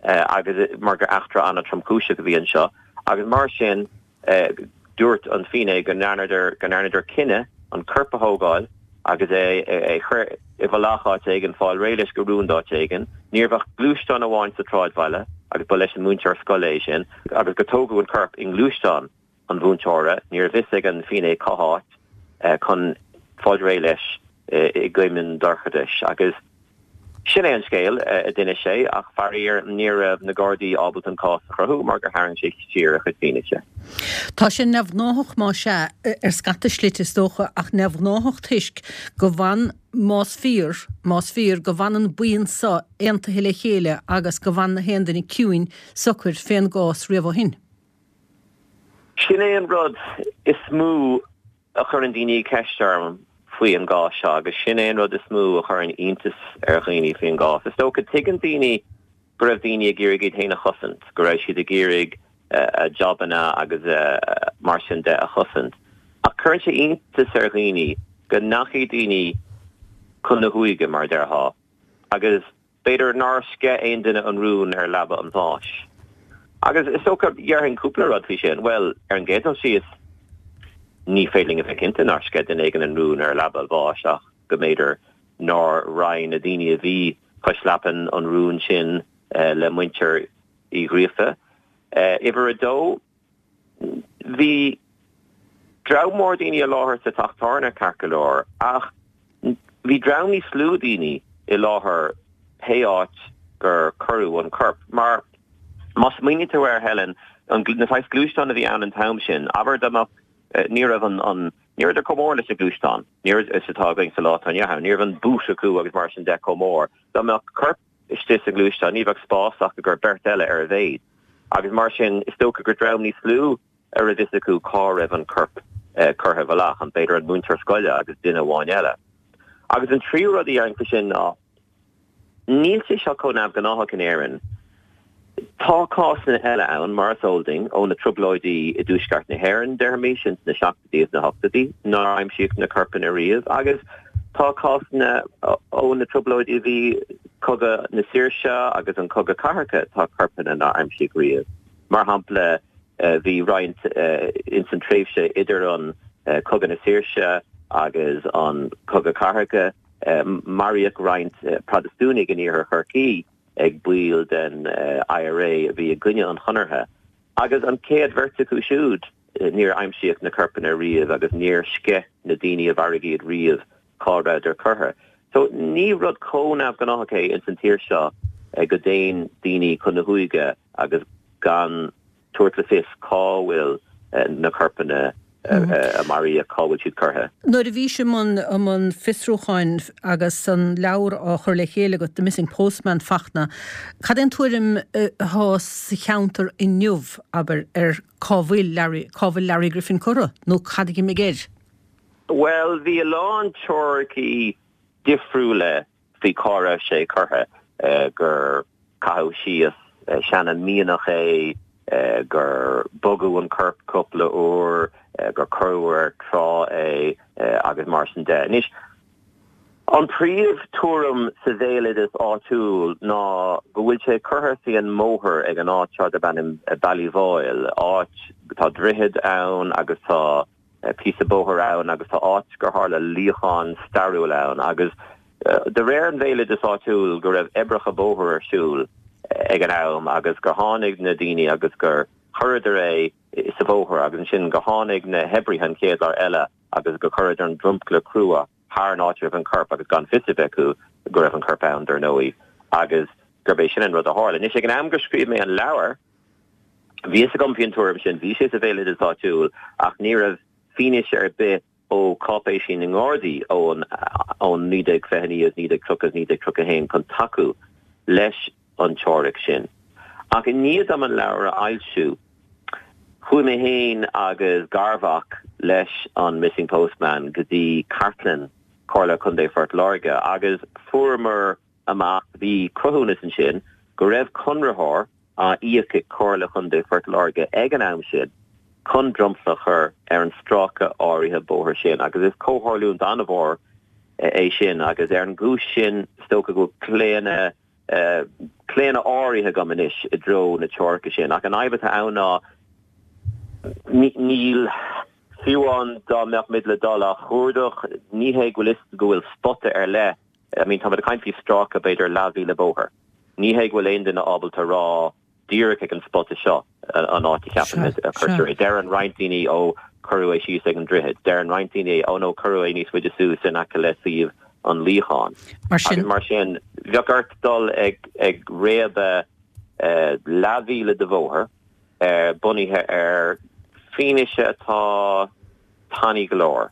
agus mar gur eachtra an-tromchúiseach a bhí anseo agus mar sin Dúirt an finné go ndearnadar go ndearnadar cinneadh an corp a thógáil agus é a chur i bhfolach áit éigin, fáil réidh leis go rúnda áit éigin. Ní raibh ach gluaisteán amháin sa tsráidbhaile agus ba leis an múinteoir scoile é sin agus gur tógadh an corp i ngluaisteán an mhúinteora, ní raibh fhios ag an bhfinné cá háit, chun fáil réidh leis i gcoim an dorchadais. Agus. Sin é an scéal, a d'inis sé, ach faraor ní raibh na Gardaí ábalta an cás a chruthú mar gur tharraing sé siar a chuid fianaise. Tá sé neamhghnáthach más ea, ar scata slite is dócha, ach neamhghnáthach toisc go bhfan, más fíor, más fíor, go bhfan an buíon so aontaithe le chéile agus go bhfan na haon duine ciúin socair fén gcás riamh ó shin. Sin é an rud is mó a chuireann daoine ceist orm faoi an gcás seo agus sin é an rud is mó a chuireann iontas ar dhaoine faoin gcás. Is dócha, tuigeann daoine go raibh daoine ag iarraidh iad féin a chosaint, go raibh siad ag iarraidh a jabanna agus mar sin de a chosaint. Ach cuireann sé iontas ar dhaoine go ndeachaigh daoine chun na huaighe, mar a déarfá, agus B'fhéidir nár sceith aon duine an rún ar leaba an bháis. Agus is dócha, dhéarfainn cúpla rud faoi sin. Bhuel, ar an gcéad dul síos, ní féidir linn a bheith cinnte nár sceith duine éigin an rún ar leaba an bháis ach go mb'fhéidir nár roinn na daoine a bhí cois leapan an rún sin le muintir Uí Ghríofa. Uimhir a dó, Bhí dream mór daoine i láthair sa teach tábhairne, ceart go leor, ach bhí dream níos lú daoine i láthair pé áit gur cuireadh an corp. Mar má smaoiníonn tú air, Helen, na saghas gluaisteáin a bhí ann an t-am sin, abair dá mbeadh, ní raibh an, ní rabhadar chomh mór leis na gluaisteáin, ní raibh, is atá againn sa lá atá inniu ann, ní raibh an boot acu agus mar sin de chomh mór. Dá mbeadh corp istigh sa ghluaisteán, ní bheadh spás ach i gcomhair beirt eile ar a mhéad. Agus mar sin, is dócha gur dream níos lú a raibh fhios acu cá raibh an corp curtha i bhfolach, an b'fhéidir an múinteoir scoile agus duine amháin eile. Agus an tríú rud a dhéarfainn faoi sin ná, níl sé seo chomh neamhghnáthach in Éirinn. Tá cásanna eile ann, mar is eol duinn, ó na trioblóidí i dtuaisceart na hÉireann, déarfaimis, ins na seachtóidí is na hochtóidí, nár aimsíodh na corpanna riamh, agus tá cásanna ó na trioblóidí a bhí Cogadh na Saoirse agus an Cogadh Cathartha, tá corpanna nár aimsíodh riamh. Mar shampla, bhí roinnt ins an tréimhse idir an Cogadh na Saoirse agus an Cogadh Cathartha, maraíodh roinnt Protastúnaigh in iarthar Chorcaí, ag baill den IRA a bhí i gcoinne an Chonartha, agus an chéad bheirt acu siúd, níor aimsíodh na corpanna riamh agus níor sceith na daoine a mharaigh iad riamh cá rabhadar curtha. So ní rud chomh neamhghnáthach é ins an tír seo go dtéann daoine chun na huaighe agus gan tabhairt le fios cá bhfuil na corpanna a maraíodh, cá bhfuil siad curtha. Nuair a bhís i mbun i mbun fiosrúcháin agus an leabhar á chur le chéile agat, The Missing Postman, Fachtna, cad é an tuairim atá sa cheantar inniu, abair, ar cá bhfuil Larry, cá bhfuil Larry Griffin curtha nó cad a d'imigh air? Bhuel, bhí a lán teoiricí difriúla faoi cá raibh sé curtha, gur caitheadh síos seana mianach é, gur bogadh an corp cúpla uair, gur cuireadh ar trá é agus mar sin de. Anois, an príomh tuairim sa bhéaloideas áitiúil ná go bhfuil sé curtha faoi an mbóthar ag an áit seo darb ainm Ballyvoyle, áit, tá droichead ann agus tá. píosa bóthair ann agus tá áit gur tharla luíochán stairiúil ann agus de réir an bhéaloidis áitiúil go raibh oibreacha bóthair ar siúl ag an am agus gur tháinig na daoine agus gur chuireadar é sa bhóthar agus ansin gur tháinig na hoibrithe an chéad lá eile agus gur chuireadar an dromchla crua thar an áit a raibh an corp agus gan fios a bheith acu go raibh an corp ann dar ndóigh agus gurb é sin an rud a tharla. Anois ag an am gur scríobh mé an leabhar. Bhí fhios agam faoin tuairim sin, bhí sé sa bhéaloideas áitiúil ach ní raibh fianaise ar bith ó cáipéisí na nGardaí ón 1929 agus 1930 agus 1931 chun tacú leis an teoiric sin. Ach i ndiaidh dom an leabhar a fhoilsiú, chuaigh mé féin agus garmhac leis an Missing Postman go dtí cartlann Chomhairle Contae Phort Láirge agus fuaireamar amach, bhí cruthúnas ansin go raibh conraitheoir á íoc ag Comhairle Chontae Phort Láirge ag an am sin chun dromchla a chur ar an stráice áirithe bóthair sin agus is comhtharlúint an-mhór é sin agus ar an gcúis sin is dócha go bhfuil claonadh claonadh áirithe agam anois i dtreo na teoirice sin ach an fhadhb atá ann ná níl fiú amháin dá mbeadh muid le dul á chuardach ní hé go bhfuil fhios go bhfuil spota ar leith I mean táimid ag caint faoi stráice b'fhéidir leathmhíle bóthair. Ní hé go bhfuil aon duine ábalta a rá díreach ag an spota seo an áit a cheapann muid a cuirtear é. Deireann roinnt daoine ó cuireadh é síos ag an droichead. Deireann roinnt daoine ó no cuireadh é níos faide suas in aice le suíomh an luíocháin. Agus mar sin bheadh ort dul ag ag réabadh leathmhíle de bhóthar bunaithe ar fianaise atá tanaí go leor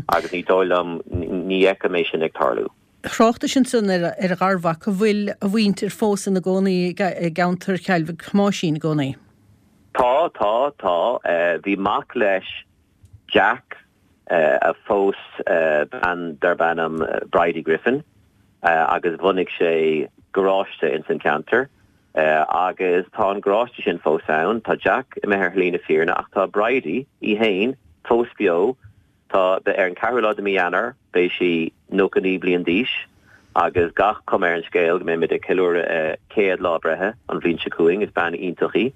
agus ní dóigh liom, ní fheicim é sin ag tarlú. Thráchtais ansan ar a gharmhac, an bhfuil a mhuintir fós ina gcónaí i gceantar Chill Mhic Thomáisín i gcónaí? Tá, tá, tá. Bhí mac leis, Jack, a phós bean darb ainm Bridie Griffin agus bhunaigh sé garáiste ins an ceantar agus tá an garáiste sin fós ann. Tá Jack imithe ar shlí na fírinne ach tá Bridie í fhéin fós beo. Tá, ar an ceathrú lá de mí Eanáir beidh sí 99 bliain d'aois agus gach cuma ar an scéal go mbeimid ag ceiliúradh a céad lá breithe an bhliain seo chugainn. Is bean iontach í.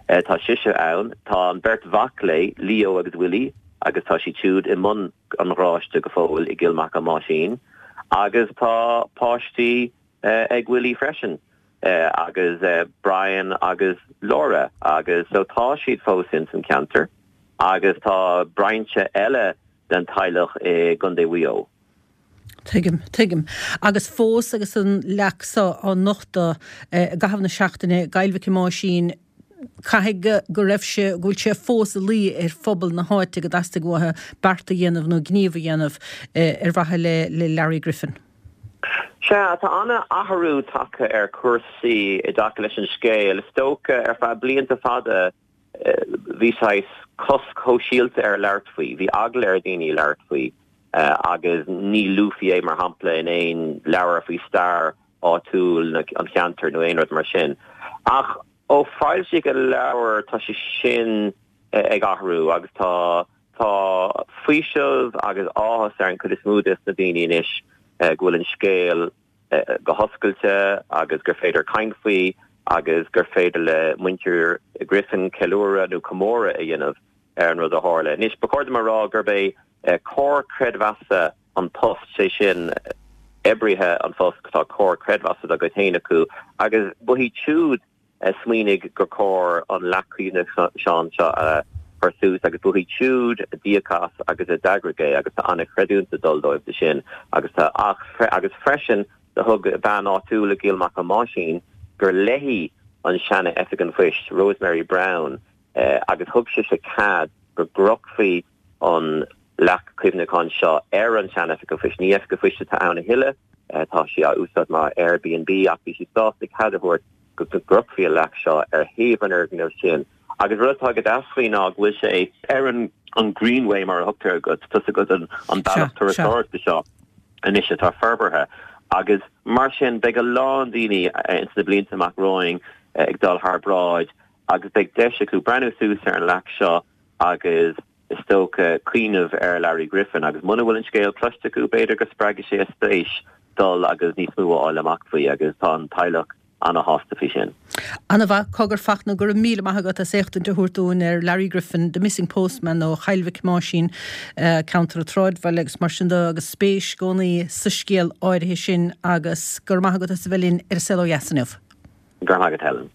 Tá sise ann. Tá an bheirt mhac léi, Leo agus Willie, agus tá siad siúd i mbun an gharáiste go fóill i gCill Mhic Thomáisín. Agus tá páistí ag Willie freisin agus Brian agus Laura agus so tá siad fós ins an ceantar agus tá brainse eile den teaghlach i gContae Mhaigh Eo. Tuigim, tuigim. Agus fós agus an leac so á nochtadh i gcaitheamh na seachtaine i gCoill Mhic Thomáisín, caithfidh go raibh sé, go bhfuil sé fós ina luí ar phobal na háite go dteastaigh uathu beart a dhéanamh nó gníomh a dhéanamh ar mhaithe le le Larry Griffin. Sea, tá an-athrú tagtha ar chúrsaí i dtaca leis an scéal. Is dócha, ar feadh blianta fada, bhí saghas cosc shóisialta ar labhairt faoi, bhí eagla ar dhaoine labhairt faoi agus ní luafaí é mar shampla in aon leabhar faoi stair áitiúil an cheantair nó aon rud mar sin. Ach ó foilsíodh an leabhar tá sé sin ag athrú agus tá tá faoiseamh agus áthas ar an chuid is mó des na daoine anois go bhfuil an scéal go hoscailte agus gur féidir caint faoi agus gur féidir le muintir Griffin ceiliúradh nó comóradh a dhéanamh ar an rud a tharla. Anois, ba chóir dom a rá gurb é Comhar Creidmheasa An Post, sé sin, oibrithe An Phoist, tá comhar creidmheasa dá gcuid féin acu agus ba iad siúd a smaoinigh gur chóir an leac cuimhneacháin seo a chur suas agus ba iad siúd a d'íoc as agus a d'eagraigh é agus tá an-chreidiúint ag dul dóibh do sin agus tá ach agus freisin do thug bean áitiúil i gCill Mhic Thomáisín gur léi an seana Oifig an Phoist, Rosemary Browne, agus thug sise cead go gcrochfaí an leac cuimhneacháin seo ar an sean Oifig an Phoist. Ní Oifig an Phoist atá ann a thuilleadh, tá sí á úsáid mar Airbnb ach bhí sí sásta cead a thabhairt go gcrochfaí an leac seo ar thaobh an fhoirgnimh sin. Agus rud atá go deas faoi ná go bhfuil sé ar an an Greenway mar a thugtar air, tá a fhios agat an bealach turasóireachta seo anois atá forbartha agus mar sin beidh a lán daoine ins na blianta amach romhainn ag dul thar bráid agus beidh deis acu breathnú suas ar an leac seo agus is dócha cuimhneamh ar Larry Griffin agus muna bhfuil an scéal cloiste acu b'fhéidir go spreagfaidh sé a spéis dul agus níos mó a fháil amach faoi agus tá an teaghlach ana-shásta faoi sin. Ana-mhaith, Cogar Fachtna, go raibh míle maith agat as éachtaint a thabhairt dúinn ar Larry Griffin, The Missing Postman ó Chill Mhic Thomáisín, ceantar an tsráidbhaile agus mar sin de agus spéis i gcónaí sa scéal áirithe sin agus go raibh maith agat as a bheith linn ar An Saol Ó Dheas inniu. Go raibh maith agat Helen.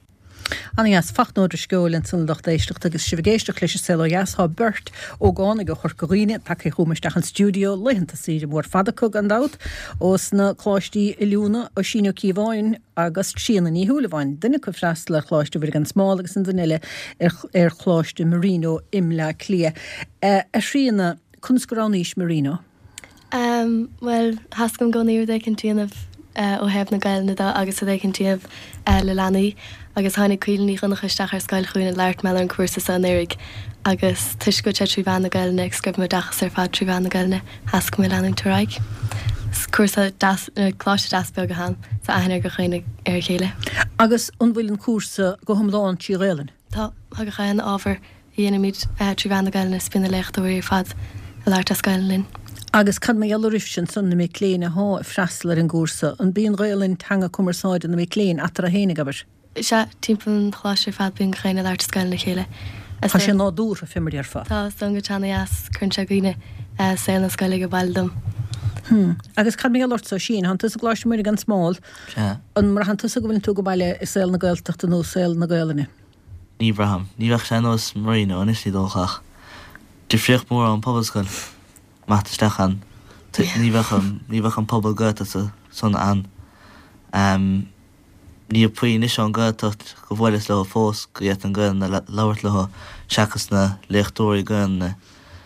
Ana-dheas. Fachnóid Sceoil ansan a lucht éisteachta agus sibh ag éisteacht leis an Saol Ó Dheas. Tá beirt ógánaigh ó Chorca Dhuibhne tagtha chugam isteach an stiúideo, laethanta saoire mór fada acu gan dabht, ós na coláistí oiliúna, Oisín Ó Cíobháin agus Tríona Ní Shúilleabháin, duine acu ag freastal ar Choláiste Mhuire gan Smál agus an duine eile ar Choláiste Marino i mBleá Cliath. A Thríona, conas go roghnaís Marino? Em, bhuel, theastaigh uaim i gcónaí rud éicint a dhéanamh ó thaobh na Gaelainne de agus rud éicint a dhéanamh le leanaí agus tháinig Caoilfhionn Ní Dhonncha isteach ar scoil chugainn ag labhairt mar gheall ar an cúrsa seo anuraidh agus toisc go bhfuil sé trí mheán na Gaelainne agus go raibh m'oideachas ar fad trí mheán na Gaelainne, theastaigh uaim leanúint ar aghaidh. Is cúrsa deas, coláiste deas beag atá ann, so aithne ar gach éinne ar a chéile. Agus an bhfuil an cúrsa go hiomlán trí Ghaelainn? Tá, tá gach aon ábhar dhéanaimid trí mheán na Gaelainne is bíonn na léachtóirí ar fad ag labhairt as Gaelainn linn. Agus cad mar gheall oraibhse ansan, na mic léinn athá ag freastal ar an gcúrsa, an b'í an Ghaelainn teanga cumarsáide na mic léinn eatarthu fhéinig, abair? Sea, timpeall an choláiste ar fad bíonn gach éinne ag labhairt as Gaelainn le chéile. Tá sé nádúrtha, fé mar déarfá. Tá, is dóigh go ana-dheas, cuireann sé i gcuimhne saol na scoile ag baile dom. Hmm. Agus cad mar gheall ortsa, Oisín, thánn tusa i gColáiste Mhuire gan Smál, Sea. an mbraitheann tusa go bhfuileann tú ag baile i saol na Gaeltachta nó saol na Gaelainne? Ní bhraithim. Ní bheadh sé ar nós Marino anois ní dócha ach difríocht mór ón pobalscoil imeacht isteach ann. Ní bheadh an ní bheadh an pobal Gaeltachta san ann. Níl puinn anois ón Gaeltacht go bhuaileas leo fós go bhféadfainn Gaelainn a labhairt leo seachas na léachtóirí Gaelainne.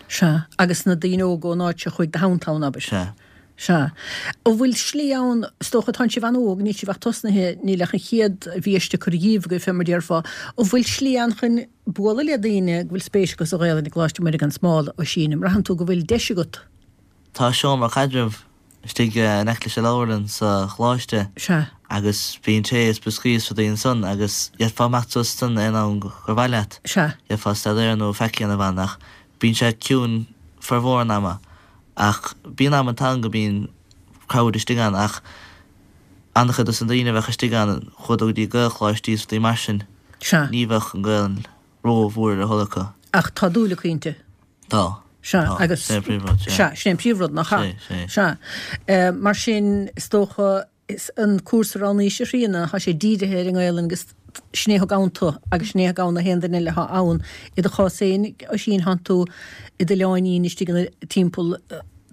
Sea, agus na daoine óga ón áit seo chuaigh do Downtown, abair. Sea. Sea. An bhfuil slí ann, is dócha, tánn sibh an-óg, níl sibh ach tosnaithe, níl ach an chéad bhiaiste curtha dhíbh agaibh, fé mar déarfá. An bhfuil slí ann chun bualadh le daoine go bhfuil spéis acu sa Ghaelainn i gColáiste Mhuire gan Smál, Oisín? An mbraitheann tú go bhfuil deis agat? Tá seomra caidrimh istigh in aice leis an leabharlann sa choláiste Sea. agus bíonn tae is brioscaí is rudaí ansan agus d'fhéadfá imeacht suas ansan aon am gur mhaith leat. Sea. D'fhéadfá staidéar nó faic a dhéanamh ann ach bíonn sé ciúin formhór an ama. Ach bíonn amanta ann go mbíonn crowd istigh ann ach an-chuid dos na daoine a bheadh istigh ann chuadar go dtí Gaelcholáistí is rudaí mar sin. Sea. Ní bheadh an Gaelainn ró-mhór ar a thoil acu. Ach tá dúil acu inti. Tá. Sea, Tá. agus. Sin é an príomhrud, sea. Sea, sin é an príomhrud, nach ea? Sé, sé. Sea. Mar sin, is dócha, is an cúrsa a roghnaís, a Thríona, tá sé dírithe ar an nGaelainn agus sin é a thug ann tu agus sin é a thug ann na haon duine eile atá ann. I do chás féin, Oisín, thánn tú i d'oileáinín istigh ina timpeall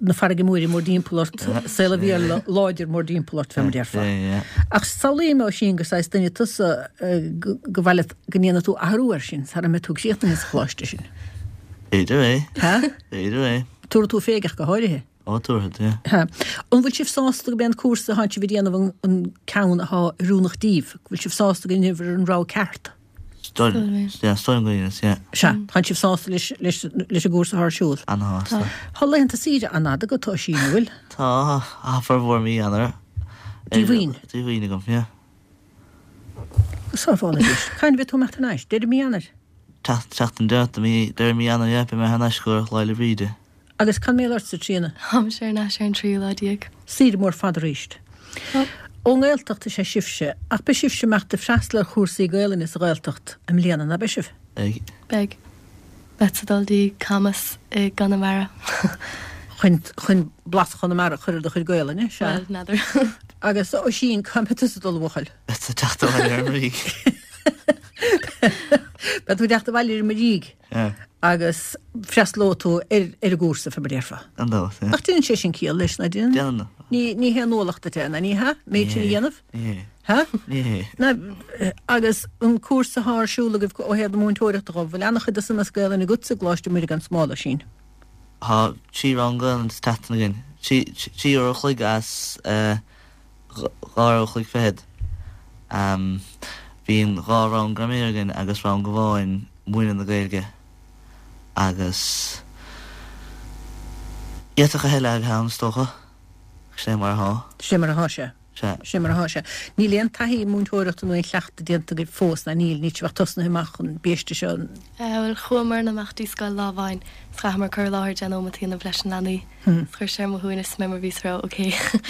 na farraige móire mórdtimpeall ort, saol an Bhéarla láidir mórdtimpeall ort, fé mar déarfá. Ach samhlaím, Oisín, gur saghas duine tusa go mhaith leat go ndéanfaidh tú athrú air sin sara mbeidh tú críochnaithe sa choláiste sin. B'fhéidir é. Ha? B'fhéidir é. Tabharfaidh tú fé ach go háirithe. Ó, tabharfad, yeah. Ha. An bhfuil sibh sásta go b'é an cúrsa atánn sibh a dhéanamh an ceann athá oiriúnach díbh? Go bhfuil sibh sásta go ndearna sibh an rogha ceart? Yeah, is dóigh liom go bhfuil, yeah. Sea, tánn sibh sásta leis leis leis an gcúrsa athá ar siúl? Ana-shásta. Tá laethanta saoire an-fhada agat, Oisín, an bhfuil? Tá, tá formhór mí Eanáir. Díomhaoin? Díomhaoin agam, yeah. Go sábhála Dia. Cathain a bheidh tú ag imeacht thar n-ais? Deireadh mí Eanáir? Seachtain deireanach de mí, deireadh mí Eanáir, yeah, beidh mé thar n-ais go Lá 'le Bríde. Agus cad mar gheall ortsa, Tríona? Táimse ar n-ais ar an tríú lá déag. Saoire mór fada arís. Ón nGaeltacht is ea sibhse, ach beidh sibhse ag imeacht ag freastal ar chúrsaí Gaelainne sa Ghaeltacht i mbliana, ná beidh sibh? Beidh. Beidh. Beadsa ag dul dtí Camas i gConamara. Chun, chun blas Chonamara a chur ar do chuid Gaelainne, sea. Bhuel, n'fheadar. Agus Oisín, cá mbeidh tusa ag dul, a bhuachaill? Beadsa ag teacht abhaile ar an Ríg. Beidh tú ag teacht abhaile ar an Ríg. Yeah. Agus freastalóidh tú ar ar an gcúrsa, fé mar a déarfá. Gan dabht, yeah. Ach déanann sé sin ciall leis, ná déanann? Déanann. Ní, ní haon ualach duit é, ná ní hea? Méid sin a dhéanamh? Ní hé. Ha? Ní hé. Ná, agus an cúrsa athá ar siúl agaibh ó thaobh na múinteoireachta dhó, bhfuil an-chuid de san as Gaelainn agatsa i gColáiste Mhuire gan Smál, Oisín? Tá trí rang Gaelainn sa tseachtain againn. Trí, trí uair a chloig as eh, dhá uair a chloig fichead. Bíonn dhá rang graiméir againn agus rang amháin múineadh na Gaeilge agus d'fhéadfadh a thuilleadh a bheith ann is dócha. Sin é mar athá. Sin é mar athá sé. Sea. Sin é mar athá sé. Níl aon taithí múinteoireachta nó aon chleachtadh déanta agaibh fós, ná níl? Níl sibh ach tosnaithe amach an biaiste seo. Bhuel, chuamar amach dtí scoil lá amháin 's chaitheamar cur i láthair deich nóimeat a dhéanamh leis na leanaí. 's chuir sé ar mo shuaimhneas mé mar bhíos ag rá ok,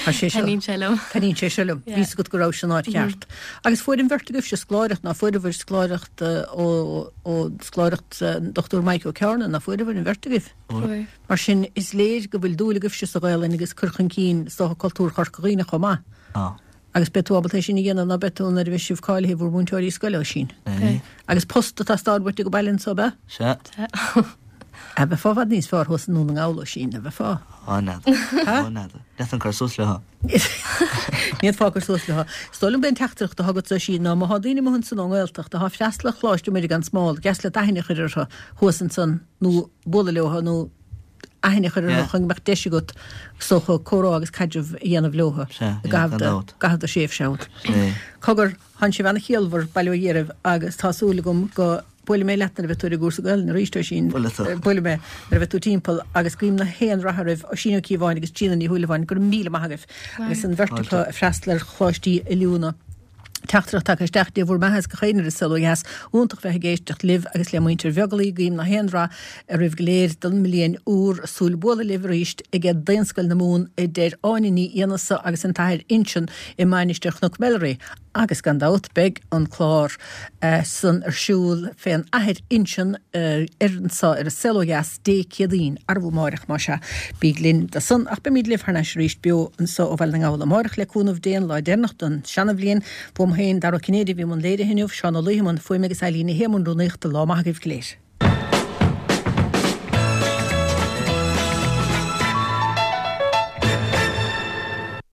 Tá sé seo. taitníonn sé liom. Taitníonn sé seo liom. Yeah. Bhí's agat go raibh sin an áit cheart. Agus fuair an bheirt agaibhse scoláireacht, ná fuaireabhair scoláireacht ó ó scoláireacht an Dr Mike Ó Cearna, ná fuaireabhair an bheirt agaibh? Fuair. Mar sin is léir go bhfuil dúil agaibhse sa Ghaelainn agus cur chun cinn is dócha cultúr Chorca Dhuibhne chomh maith. Tá. Agus beidh tú ábalta é sin a dhéanamh, ná beidh tú, nuair a bheidh sibh cáilithe bhur múinteoirí scoile, Oisín? Beidh. Agus post ag teastáil uait ag baile anso, ab ea? Sea. A bheifeá i bhfad níos fearr thuas i nDún na nGall, Oisín, a bheifeá? Á, n'fheadar. Á, n'fheadar. Ní fhéadfainn cur suas leo. Ní fhéadfá cur suas leo. Is dóigh liom gurb é an teachtaireacht atá agatsa, Oisín, ná má thá daoine amuigh ansan ón nGaeltacht atá ag freastal ar Choláiste Mhuire gan Smál, dheas leat aithne a chur orthu thuas ansan nó bualadh leo nó aithne a chur orthu chun go mbeadh deis agat, is dócha, comhrá agus caidreamh a dhéanamh leo i gcaitheamh do thréimhse ann. Cogar, thánn sibh ana-chiallmhar, bail ó Dhia oraibh, agus tá súil agam go buailfidh mé leat nuair a bheidh tú ar an gcúrsa Gaelainne arís, Oisín. Buailfidh mé nuair a bheidh tú timpeall agus guím na haon rath oraibh, Oisín Ó Cíobháin agus Gina Ní Shúilleabháin, go raibh míle maith agaibh agus an bheirt acu ag freastal ar choláistí oiliúna. Teachtaireacht tagtha isteach, Dé bhur mbeatha is gach éinne ar an Saol Ó Dheas. Iontach bheith ag éisteacht libh agus le muintir Bheaglaoich. Guím na haon rath oraibh go léir don mbliain úr. Súil bualadh libh arís ag Daonscoil na Mumhan a deir Áine Ní Fhiannasa agus an tAthair Uinseann i Mainistir Chnoc Melleray. Agus gan dabht beidh an clár san ar siúl fén Athair Uinseann ar anso ar An Saol Ó Dheas Dé Céadaoin, arbú amáireach más ea. Bíg linn do san. Ach beimid libh thar n-ais arís beo anso ó Bhaile na nGall amáireach le cúnamh Dé an lá deireanach don seana-bhliain. B'uaim féin Dara Ó Cinnéide a bhí i mbun léirithe inniu, Seán Ó Laoithe i mbun fuaime agus Eilín Ní Shé i mbun rúnaíochta. Lá maith agaibh go léir.